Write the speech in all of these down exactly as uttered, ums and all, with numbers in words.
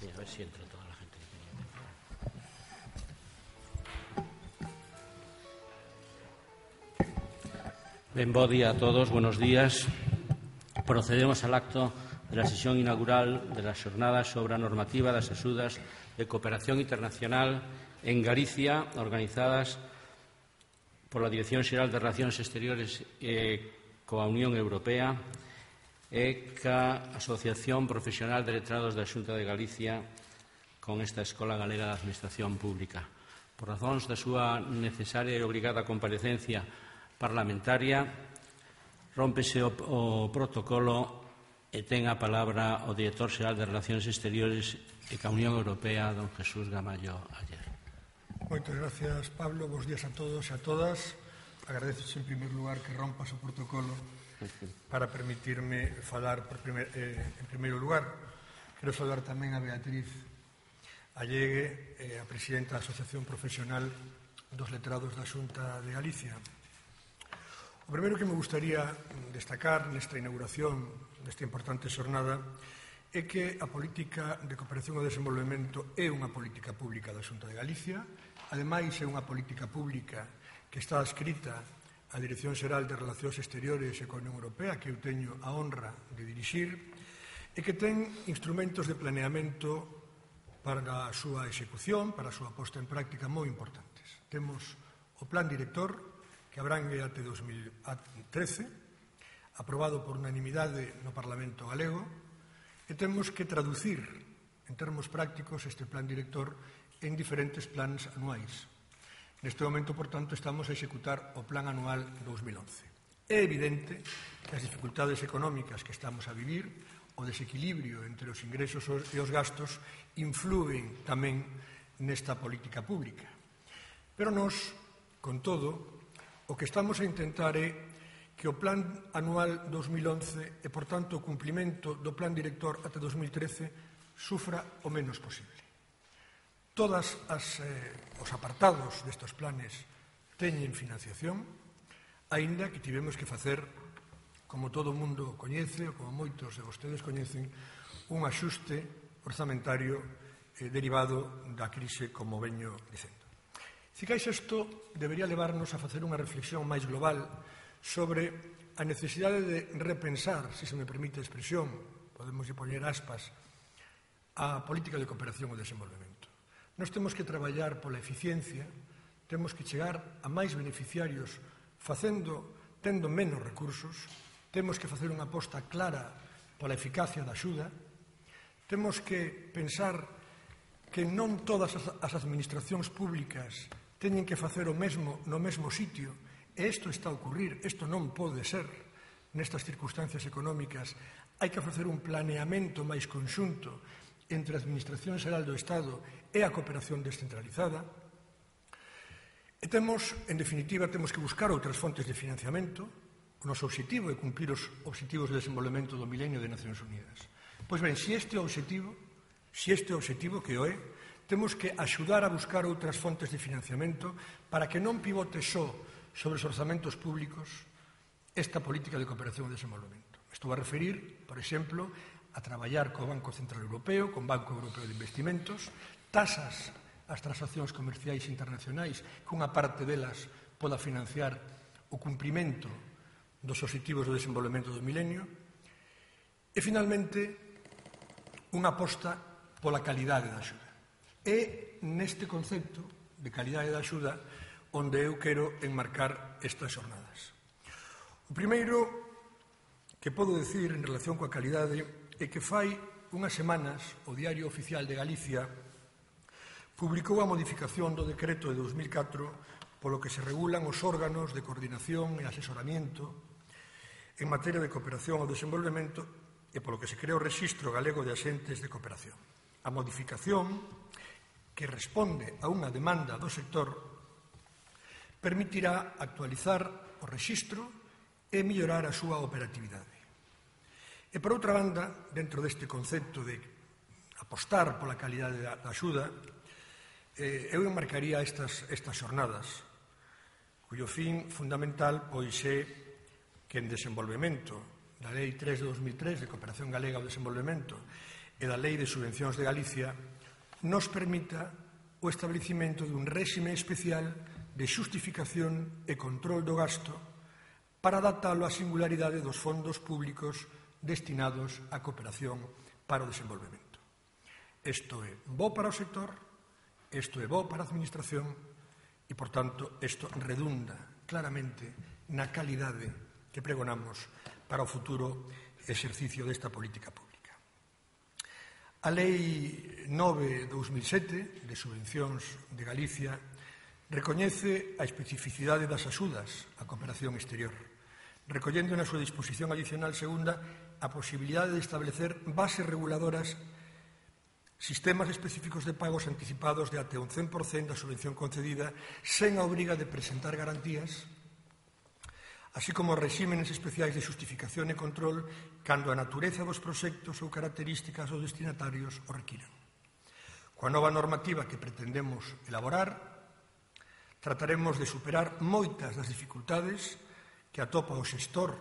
Sí, a ver si entra toda la gente que tenía que entrar. Ben, bo día a todos, buenos días. Procedemos al acto de la sesión inaugural de las xornadas sobre a normativa das axudas de cooperación internacional en Galicia, organizadas pola Dirección Xeral de Relacións Exteriores e coa Unión Europea e ca Asociación Profesional de Letrados da Xunta de Galicia con esta Escola Galega de Administración Pública. Por razóns da súa necesaria e obrigada comparecencia parlamentaria, rómpese o, o protocolo e ten a palabra o Director Xeral de Relacións Exteriores e ca Unión Europea, don Jesús Gamallo Aller. Moitas gracias, Pablo. Bos días a todos e a todas. Agradeces en primer lugar que rompas o protocolo para permitirme falar por primer, eh, en primeiro lugar. Quero saudar tamén a Beatriz Allegue, eh, a presidenta da Asociación Profesional dos Letrados da Xunta de Galicia. O primeiro que me gustaría destacar nesta inauguración desta importante xornada é que a política de cooperación ao desenvolvemento é unha política pública da Xunta de Galicia, ademais é unha política pública que está adscrita á Dirección Xeral de Relacións Exteriores e coa Unión Europea, que eu teño a honra de dirixir, e que ten instrumentos de planeamento para a súa execución, para a súa posta en práctica moi importantes. Temos o Plan Director, que abrangue até dos mil trece, aprobado por unanimidade no Parlamento galego, e temos que traducir en termos prácticos este Plan Director en diferentes plans anuais. Neste momento, por tanto, estamos a executar o Plan Anual dos mil once. É evidente que as dificultades económicas que estamos a vivir, o desequilibrio entre os ingresos e os gastos, influen tamén nesta política pública. Pero nós, con todo, o que estamos a intentar é que o Plan Anual dos mil once e, por tanto, o cumplimento do Plan Director até dos mil trece sufra o menos posible. Todos eh, os apartados destes planes teñen financiación, aínda que tivemos que facer, como todo o mundo coñece, ou como moitos de vostedes coñecen, un axuste orzamentario eh, derivado da crise, como veño dicendo. Cicais, isto debería levarnos a facer unha reflexión máis global sobre a necesidade de repensar, se se me permite a expresión, podemos poñer aspas, a política de cooperación ao desenvolvemento. Nós temos que traballar pola eficiencia, temos que chegar a máis beneficiarios facendo, tendo menos recursos, temos que facer unha aposta clara pola eficacia da axuda, temos que pensar que non todas as administracións públicas teñen que facer o mesmo no mesmo sitio, e isto está a ocurrir, isto non pode ser nestas circunstancias económicas. Hai que facer un planeamento máis conxunto entre a Administración Xeral do Estado e a cooperación descentralizada. E temos, en definitiva, temos que buscar outras fontes de financiamento. O noso obxectivo é cumprir os obxectivos de desenvolvemento do milenio de Nacións Unidas. Pois ben, se este é o obxectivo, se este é o obxectivo que o é, temos que axudar a buscar outras fontes de financiamento para que non pivote só sobre os orzamentos públicos esta política de cooperación e desenvolvemento. Estou a referir, por exemplo, a traballar co Banco Central Europeo, con Banco Europeo de Investimentos, tasas ás transaccións comerciais internacionais, que unha parte delas poda financiar o cumprimento dos obxectivos do desenvolvemento do milenio, e, finalmente, unha aposta pola calidade da axuda. É neste concepto de calidade da axuda onde eu quero enmarcar estas xornadas. O primeiro que podo decir en relación coa calidade é que fai unhas semanas o Diario Oficial de Galicia publicou a modificación do decreto de dos mil catro polo que se regulan os órganos de coordinación e asesoramento en materia de cooperación ao desenvolvemento e polo que se crea o Rexistro Galego de Axentes de Cooperación. A modificación, que responde a unha demanda do sector, permitirá actualizar o rexistro e mellorar a súa operatividade. E, por outra banda, dentro deste concepto de apostar pola calidade da axuda, eh, eu enmarcaría estas, estas xornadas, cuyo fin fundamental pois é que en desenvolvemento da Lei tres de dos mil tres de Cooperación Galega ao Desenvolvemento e da Lei de Subvencións de Galicia nos permita o establecimento dun réxime especial de xustificación e control do gasto para adaptalo á singularidade dos fondos públicos destinados á cooperación para o desenvolvemento. Isto é bo para o sector, isto é bo para a administración e, por tanto, isto redunda claramente na calidade que pregonamos para o futuro exercicio desta política pública. A Lei nove barra dous mil sete de Subvencións de Galicia recoñece a especificidade das axudas á cooperación exterior, recollendo na súa disposición adicional segunda a posibilidade de establecer bases reguladoras, sistemas específicos de pagos anticipados de até un cen por cento da subvención concedida sen a obriga de presentar garantías, así como regímenes especiais de xustificación e control cando a natureza dos proxectos ou características dos destinatarios o requiran. Coa nova normativa que pretendemos elaborar, trataremos de superar moitas das dificultades que atopa o xestor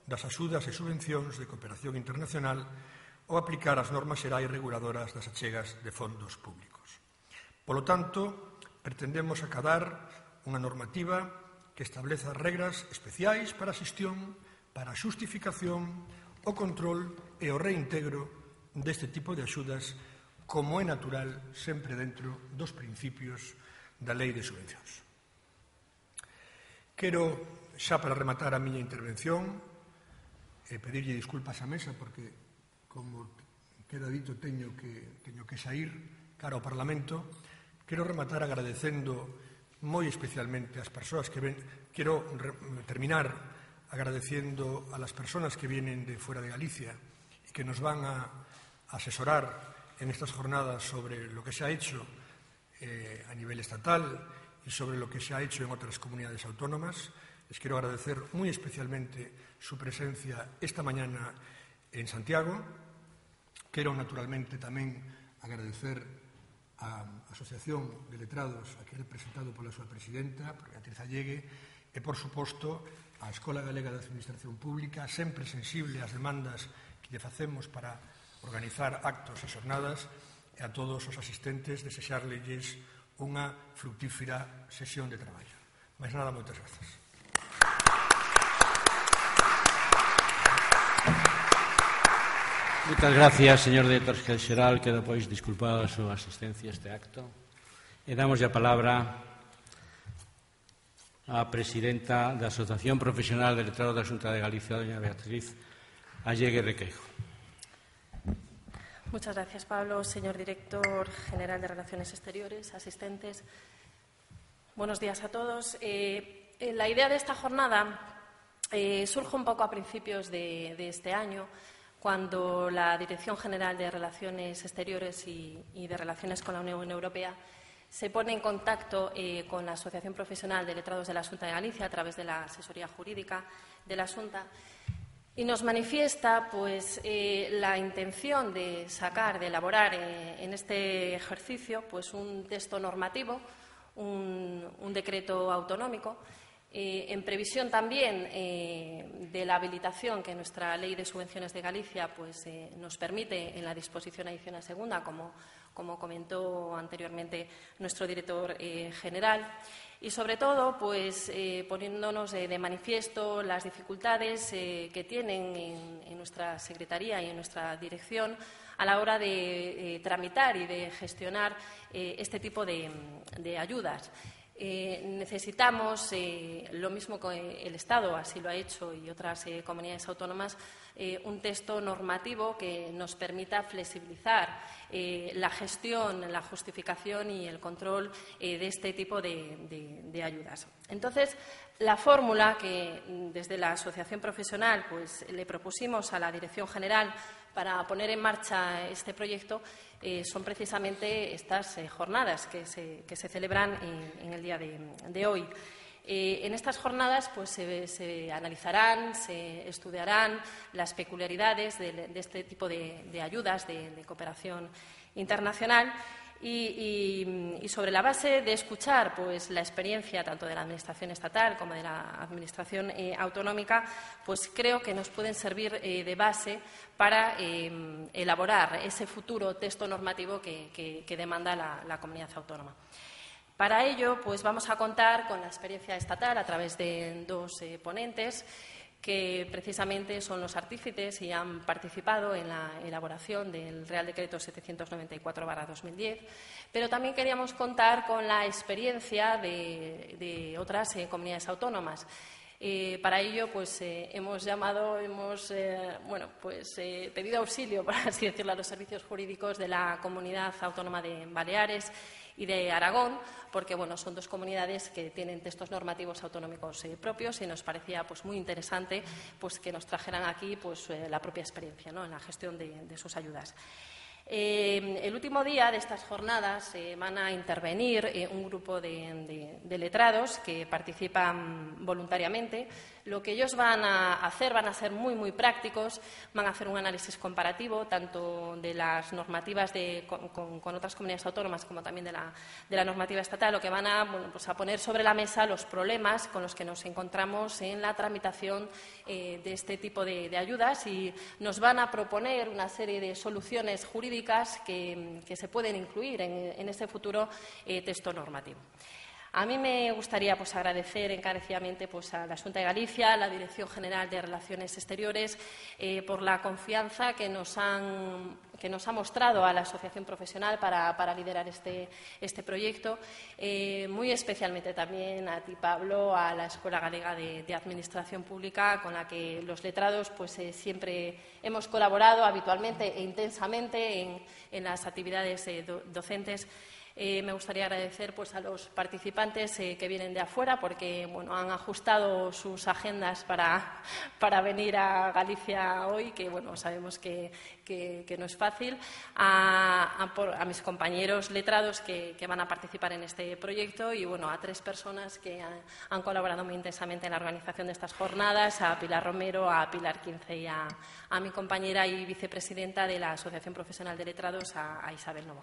das axudas e subvencións de cooperación internacional ou aplicar as normas xerais reguladoras das achegas de fondos públicos. Polo tanto, pretendemos acadar unha normativa que estableza regras especiais para a xestión, para a xustificación, o control e o reintegro deste tipo de axudas, como é natural sempre dentro dos principios da Lei de Subvencións. Quero, xa para rematar a miña intervención, e pedirlle disculpas á mesa porque, como queda dito, teño que, teño que sair cara ao Parlamento. Quero rematar agradecendo moi especialmente ás persoas que ven. Quero terminar agradeciendo a las personas que vienen de fuera de Galicia y que nos van a asesorar en estas jornadas sobre lo que se ha hecho eh, a nivel estatal y sobre lo que se ha hecho en otras comunidades autónomas. Les quiero agradecer muy especialmente su presencia esta mañana en Santiago. Quiero naturalmente tamén agradecer a Asociación de Letrados, aquí representado pola súa presidenta, por Beatriz Allegue, e, por suposto, a Escola Galega de Administración Pública, sempre sensible ás demandas que lle facemos para organizar actos e xornadas, e a todos os asistentes desexarlles unha fructífera sesión de traballo. Mais nada, moitas grazas. Moitas gracias, señor director xeral, quedo, pois, disculpado a súa asistencia a este acto. E damos a palabra á presidenta da Asociación Profesional de Letrados da Xunta de Galicia, doña Beatriz Allegue Requeijo. Muchas gracias, Pablo. Señor director general de Relaciones Exteriores, asistentes, buenos días a todos. Eh, la idea de esta jornada eh, surge un poco a principios de, de este año, cuando la Dirección General de Relaciones Exteriores y, y de Relaciones con la Unión Europea se pone en contacto eh, con la Asociación Profesional de Letrados de la Xunta de Galicia a través de la asesoría jurídica de la Xunta y nos manifiesta pues, eh, la intención de sacar, de elaborar eh, en este ejercicio pues, un texto normativo, un, un decreto autonómico, Eh, en previsión también eh, de la habilitación que nuestra Ley de Subvenciones de Galicia pues, eh, nos permite en la disposición adicional segunda, como, como comentó anteriormente nuestro director eh, general, y sobre todo pues, eh, poniéndonos eh, de manifiesto las dificultades eh, que tienen en, en nuestra Secretaría y en nuestra dirección a la hora de eh, tramitar y de gestionar eh, este tipo de, de ayudas. Eh, necesitamos, eh, lo mismo que el Estado así lo ha hecho y otras eh, comunidades autónomas, eh, un texto normativo que nos permita flexibilizar eh, la gestión, la justificación y el control eh, de este tipo de, de, de ayudas. Entonces, la fórmula que desde la Asociación Profesional pues, le propusimos a la Dirección General para poner en marcha este proyecto eh, son precisamente estas eh, jornadas que se, que se celebran en, en el día de, de hoy. Eh, en estas jornadas pues, se, se analizarán, se estudiarán las peculiaridades de, de este tipo de, de ayudas de, de cooperación internacional Y, y, y sobre la base de escuchar pues, la experiencia tanto de la Administración estatal como de la Administración eh, autonómica, pues creo que nos pueden servir eh, de base para eh, elaborar ese futuro texto normativo que, que, que demanda la, la comunidad autónoma. Para ello, pues vamos a contar con la experiencia estatal a través de dos eh, ponentes que precisamente son los artífices y han participado en la elaboración del Real Decreto setecientos noventa y cuatro barra dos mil diez, pero también queríamos contar con la experiencia de, de otras eh, comunidades autónomas. Eh, para ello, pues eh, hemos llamado, hemos eh, bueno, pues eh, pedido auxilio, por así decirlo, a los servicios jurídicos de la Comunidad Autónoma de Baleares y de Aragón, porque bueno, son dos comunidades que tienen textos normativos autonómicos eh, propios y nos parecía pues, muy interesante pues, que nos trajeran aquí pues, eh, la propia experiencia, ¿no?, en la gestión de, de sus ayudas. Eh, el último día de estas jornadas eh, van a intervenir eh, un grupo de, de, de letrados que participan voluntariamente. Lo que ellos van a hacer van a ser muy, muy prácticos, van a hacer un análisis comparativo tanto de las normativas de, con, con, con otras comunidades autónomas como también de la, de la normativa estatal, lo que van a, bueno, pues a poner sobre la mesa los problemas con los que nos encontramos en la tramitación eh, de este tipo de, de ayudas y nos van a proponer una serie de soluciones jurídicas que, que se pueden incluir en, en este futuro eh, texto normativo. A mí me gustaría pues, agradecer encarecidamente pues, a la Xunta de Galicia, a la Dirección General de Relaciones Exteriores, eh, por la confianza que nos, han, que nos ha mostrado a la Asociación Profesional para, para liderar este, este proyecto. Eh, muy especialmente también a ti, Pablo, a la Escuela Galega de, de Administración Pública, con la que los letrados pues, eh, siempre hemos colaborado habitualmente e intensamente en, en las actividades eh, do, docentes. Eh, me gustaría agradecer pues, a los participantes eh, que vienen de afuera porque bueno, han ajustado sus agendas para, para venir a Galicia hoy, que bueno, sabemos que, que, que no es fácil, a, a, por, a mis compañeros letrados que, que van a participar en este proyecto y bueno, a tres personas que han, han colaborado muy intensamente en la organización de estas jornadas, a Pilar Romero, a Pilar Quince y a, a mi compañera y vicepresidenta de la Asociación Profesional de Letrados, a, a Isabel Novo.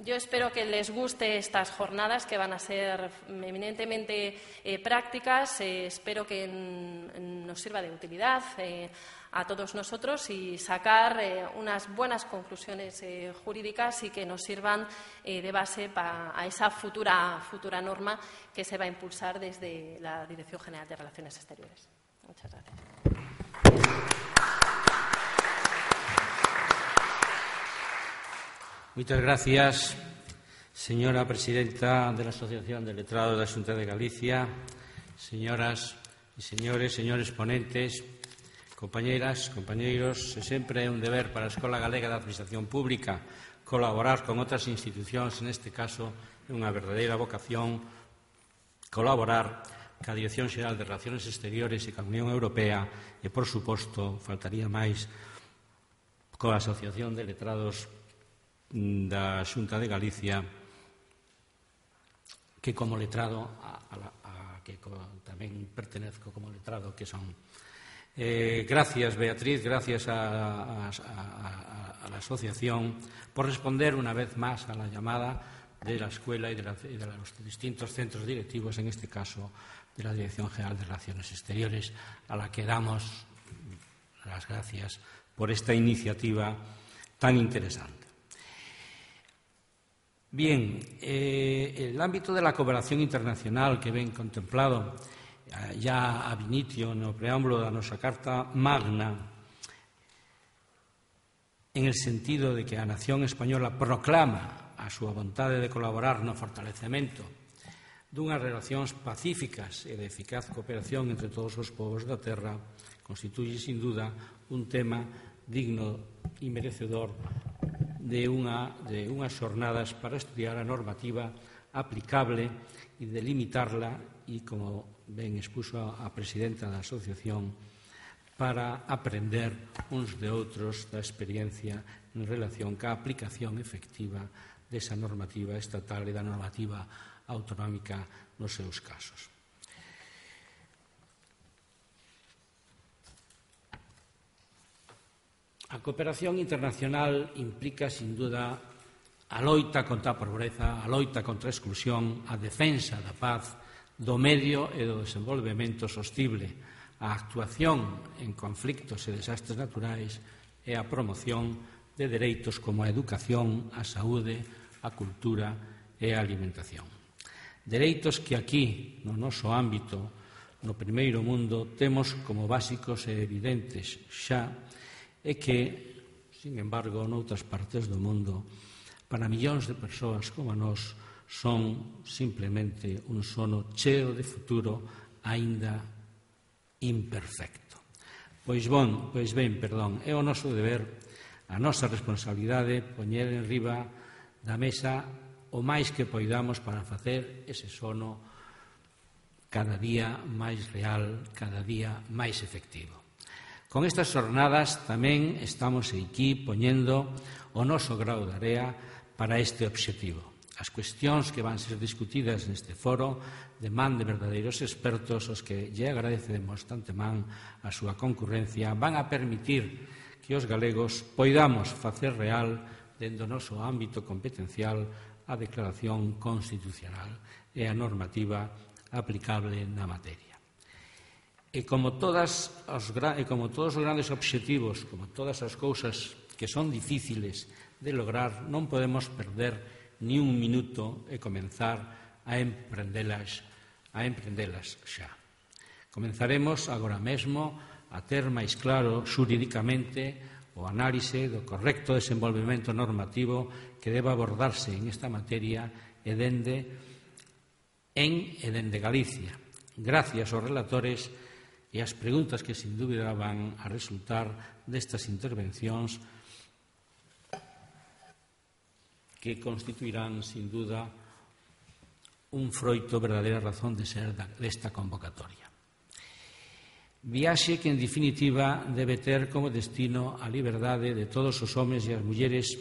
Yo espero que les guste estas jornadas, que van a ser eminentemente eh, prácticas. Eh, espero que en, en nos sirva de utilidad eh, a todos nosotros y sacar eh, unas buenas conclusiones eh, jurídicas y que nos sirvan eh, de base para a esa futura, futura norma que se va a impulsar desde la Dirección General de Relaciones Exteriores. Muchas gracias. Muchas gracias, señora presidenta de la Asociación de Letrados de la Xunta de Galicia, señoras e señores, señores ponentes, compañeras, compañeiros. É sempre un deber para a Escola Galega de Administración Pública colaborar con outras institucións, neste caso é unha verdadeira vocación colaborar ca Dirección Xeral de Relaciones Exteriores e ca Unión Europea e, por suposto, faltaría máis, coa Asociación de Letrados da Xunta de Galicia, que como letrado a, a, a que co, tamén pertenezco como letrado, que son eh, gracias Beatriz, gracias a, a, a, a la asociación por responder una vez más a la llamada de la escuela y de, la, y de los distintos centros directivos, en este caso de la Dirección General de Relaciones Exteriores, a la que damos las gracias por esta iniciativa tan interesante. Bien, eh, el ámbito de la cooperación internacional que ven contemplado eh, ya ab initio no preámbulo da nosa Carta Magna, en el sentido de que a nación española proclama a súa vontade de colaborar no fortalecemento dunhas relacións pacíficas e de eficaz cooperación entre todos os povos da terra, constituye, sin duda, un tema digno e merecedor de, unha, de unhas xornadas para estudiar a normativa aplicable e delimitarla e, como ben expuso a presidenta da asociación, para aprender uns de outros da experiencia en relación ca aplicación efectiva desa normativa estatal e da normativa autonómica nos seus casos. A cooperación internacional implica, sin duda, a loita contra a pobreza, a loita contra a exclusión, a defensa da paz, do medio e do desenvolvemento sostible, a actuación en conflictos e desastres naturais e a promoción de dereitos como a educación, a saúde, a cultura e a alimentación. Dereitos que aquí, no noso ámbito, no primeiro mundo, temos como básicos e evidentes xa, e que, sin embargo, noutras partes do mundo, para millóns de persoas como a nós, son simplemente un sono cheo de futuro aínda imperfecto. Pois bon, pois ben, perdón, é o noso deber, a nosa responsabilidade, poñer en riba da mesa o máis que poidamos para facer ese sono cada día máis real, cada día máis efectivo. Con estas jornadas tamén estamos aquí poñendo o noso grao de area para este obxectivo. As cuestións que van ser discutidas neste foro deman de verdadeiros expertos os que lle agradecemos tanto man a súa concurrencia, van a permitir que os galegos poidamos facer real dentro do noso ámbito competencial a declaración constitucional e a normativa aplicable na materia. E como, todas os, e como todos os grandes obxectivos, como todas as cousas que son difíciles de lograr, non podemos perder ni un minuto e comenzar a emprendelas, a emprendelas xa. Comenzaremos agora mesmo a ter máis claro xurídicamente o análise do correcto desenvolvemento normativo que debe abordarse en esta materia e dende en e dende Galicia, gracias aos relatores e as preguntas que sin dúbida van a resultar destas intervencións que constituirán sin duda un froito verdadeira razón de ser desta convocatoria. Viaxe que, en definitiva, debe ter como destino a liberdade de todos os homes e as mulleres,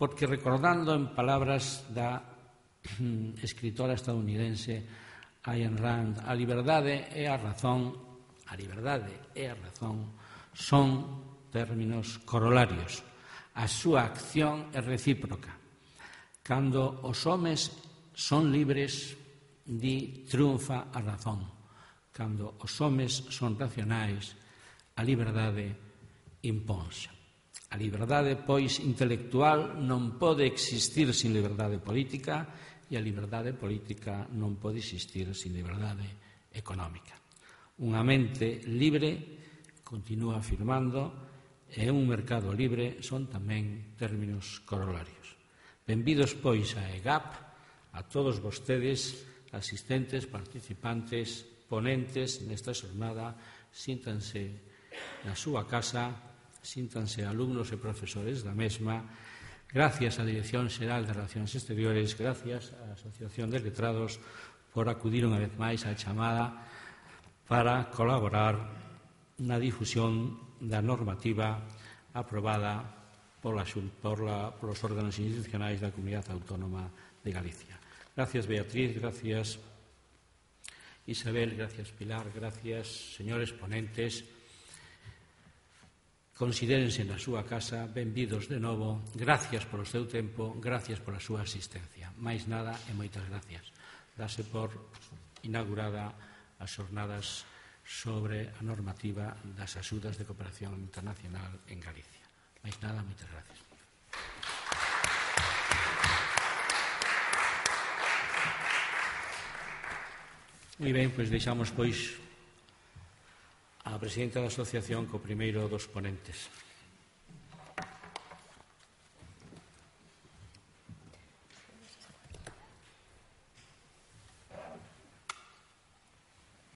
porque, recordando en palabras da escritora estadounidense Ayn Rand, a liberdade e a razón, a liberdade e a razón son términos corolarios. A súa acción é recíproca. Cando os homes son libres, di triunfa a razón. Cando os homes son racionais, a liberdade imponse. A liberdade, pois, intelectual non pode existir sin liberdade política e a liberdade política non pode existir sin liberdade económica. Unha mente libre, continúa afirmando, e un mercado libre son tamén términos corolarios. Benvidos, pois, a E G A P, a todos vostedes, asistentes, participantes, ponentes nesta xornada, síntanse na súa casa, síntanse alumnos e profesores da mesma. Gracias á Dirección Xeral de Relacións Exteriores, gracias á Asociación de Letrados por acudir unha vez máis á chamada para colaborar na difusión da normativa aprobada por, la, por, la, por los órganos institucionais da Comunidade Autónoma de Galicia. Gracias, Beatriz, gracias, Isabel, gracias, Pilar, gracias, señores ponentes. Considérense na súa casa, benvidos de novo, gracias polo seu tempo, gracias pola súa asistencia. Máis nada e moitas gracias. Dase por inaugurada as xornadas sobre a normativa das axudas de cooperación internacional en Galicia. Máis nada, moitas gracias. Moi ben, pois deixamos, pois, a presidenta da asociación co primeiro dos ponentes.